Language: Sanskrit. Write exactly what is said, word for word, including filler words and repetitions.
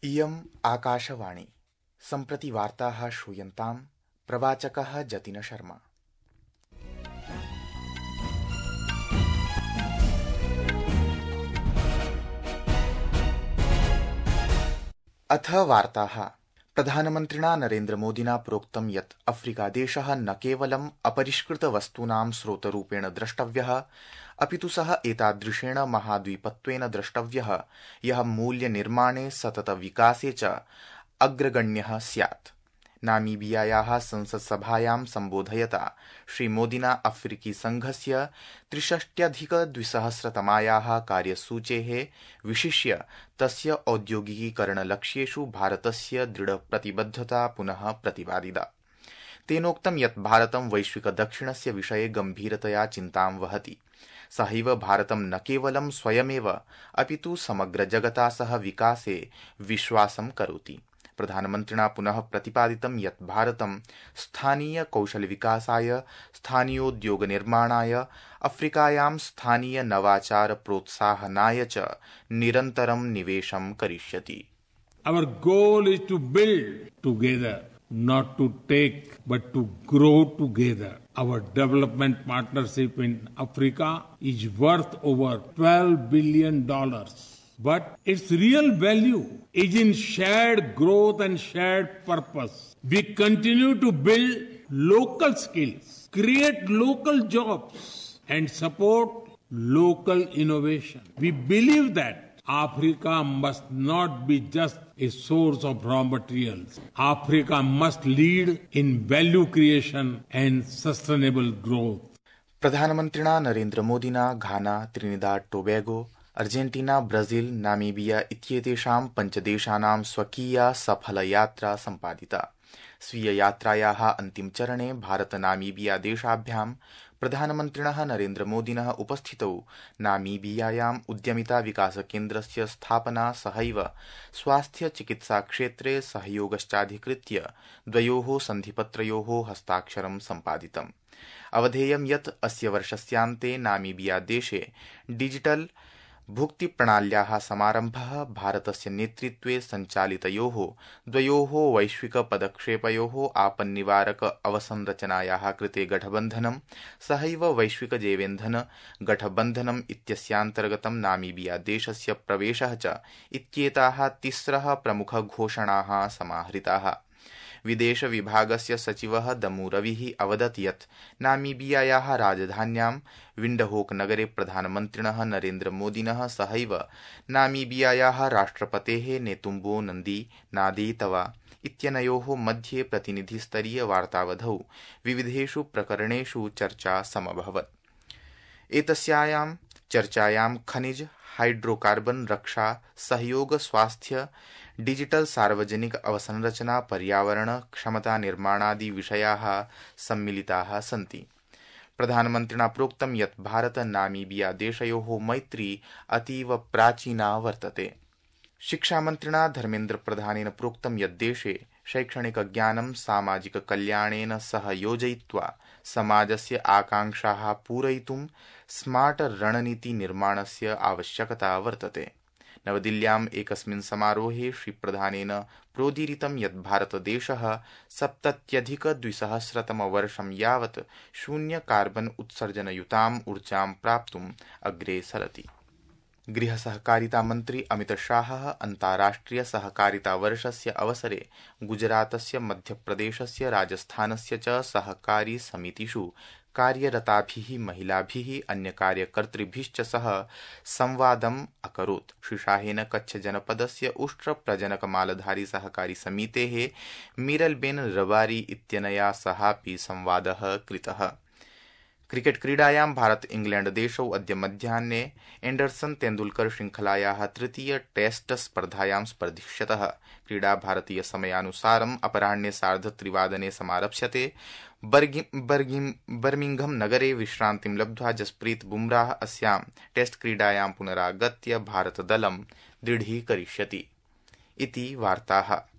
इयम् आकाशवाणी। सम्प्रति वार्ताः श्रूयन्ताम्। प्रवाचकः जतिन शर्मा। अथ वार्ताः। प्रधानमन्त्रिणा नरेन्द्रमोदिना प्रोक्तं यत् अफ्रीकादेशः न केवलम् अपरिष्कृतवस्तूनां स्रोतरूपेण द्रष्टव्यः, अपितु सः एतादृशेन महाद्वीपत्वेन द्रष्टव्यः यः मूल्यनिर्माणे सततविकासे च अग्रगण्यः स्यात्। नामीबियायाः संसत्सभायां सम्बोधयता श्रीमोदिना अफ्रीकी संघस्य त्रिषष्ट्यधिकद्विसहस्रतमायाः कार्यसूचेः विशिष्य तस्य औद्योगिकीकरणलक्ष्येषु भारतस्य दृढप्रतिबद्धता पुनः प्रतिपादिता। तेनोक्तं यत् भारतं वैश्विकदक्षिणस्य विषये गम्भीरतया चिन्तां वहति। सहैव भारतं न केवलं स्वयमेव अपितु समग्रजगता सह विकासे विश्वासं करोति। प्रधानमन्त्रिणा पुनः प्रतिपादितं यत् भारतं स्थानीय कौशलविकासाय, स्थानीयोद्योगनिर्माणाय, अफ्रीकायां स्थानीय नवाचार प्रोत्साहनाय च निरन्तरं निवेशं करिष्यति। Our goal is to build together, not to take, but to grow together. Our development partnership in Africa is worth over twelve billion dollars. But its real value is in shared growth and shared purpose. We continue to build local skills, create local jobs, and support local innovation. We believe that Africa must not be just a source of raw materials. Africa must lead in value creation and sustainable growth. प्रधानमन्त्रिणा नरेन्द्रमोदिना Ghana, Trinidad Tobago, Argentina, Brazil, Namibia इत्येतेषां पञ्चदेशानां स्वकीया सफलयात्रा सम्पादिता। स्वीययात्रायाः अन्तिमचरणे भारत-नामीबिया देशाभ्यां प्रधानमन्त्रिणः नरेन्द्रमोदिनः उपस्थितौ नामीबियायाम् उद्यमिता विकासकेन्द्रस्य स्थापना सहैव स्वास्थ्यचिकित्साक्षेत्रे सहयोगश्चाधिकृत्य द्वयोः सन्धिपत्रयोः हस्ताक्षरं सम्पादितम्। अवधेयं यत् अस्य वर्षस्यान्ते नामीबिया देशे डिजिटल भुक्तिप्रणाल्याः समारम्भः भारतस्य नेतृत्वे सञ्चालितयोः द्वयोः वैश्विकपदक्षेपयोः आपन्निवारक अवसंरचनायाः कृते गठबन्धनं सहैव वैश्विकजैवेन्धन गठबन्धनम् इत्यस्यान्तर्गतं नामीबिया देशस्य प्रवेशः च इत्येताः तिस्रः प्रमुखघोषणाः समाहृताः। विदेश विभागस्य सचिवः दमू रविः अवदत् यत् नामीबियायाः राजधान्यां विण्डहोक नगरे प्रधानमन्त्रिणः नरेन्द्रमोदिनः सहैव नामीबियायाः राष्ट्रपतेः नेतुम्बो नन्दी नादेतवा इत्यनयोः मध्ये प्रतिनिधिस्तरीय वार्तावधौ विविधेषु प्रकरणेषु चर्चा समभवत्। एतस्यां चर्चायां खनिज, हाइड्रोकार्बन, रक्षा, सहयोग, स्वास्थ्य, डिजिटल सार्वजनिक अवसंरचना, पर्यावरण, क्षमता निर्माणादि विषयाः सम्मिलिताः सन्ति। प्रधानमन्त्रिणा प्रोक्तं यत् भारत नामीबिया देशयोः मैत्री अतीव प्राचीना वर्तते। शिक्षामन्त्रिणा धर्मेन्द्र प्रधानेन प्रोक्तं यत् देशे शैक्षणिकज्ञानं सामाजिककल्याणेन सह योजयित्वा समाजस्य आकांक्षाः पूरयितुं स्मार्ट रणनीति निर्माणस्य आवश्यकता वर्तते। नवदिल्ल्याम् एकस्मिन् समारोहे श्रीप्रधानेन प्रोदीरितं यत् भारतदेशः सप्तत्यधिकद्विसहस्रतमवर्षं यावत् शून्य कार्बन उत्सर्जनयुताम् ऊर्जां प्राप्तुम् अग्रे सरति। गृहसहकारिता मन्त्री अमितशाहः अन्ताराष्ट्रिय सहकारिता वर्षस्य अवसरे गुजरातस्य, मध्यप्रदेशस्य, राजस्थानस्य च सहकारी समितिषु कार्यरताभिः महिलाभिः अन्यकार्यकर्तृभिश्च सह संवादम् अकरोत्। श्री शाहेन कच्छ जनपदस्य उष्ट्र प्रजनक मालधारी सहकारी समितेः मीरलबेन रबारी इत्यनया सहापि संवादः कृतः। क्रिकेट क्रीडायां भारत इंग्लैंड देशौ अद्य मध्याह्ने एंडरसन तेंदुलकर श्रृंखलायाः तृतीय टेस्ट स्पर्धायां स्पर्धिष्यतः। क्रीडा भारतीय समयानुसारम् अपराह्ने सार्धत्रिवादने समारप्स्यते। बर्मिंघम नगरे विश्रान्तिं लब्ध्वा जसप्रीत बुमराह अस्यां टेस्ट क्रीडायां पुनरागत्य भारतदलं दृढीकरिष्यति। इति वार्ताः।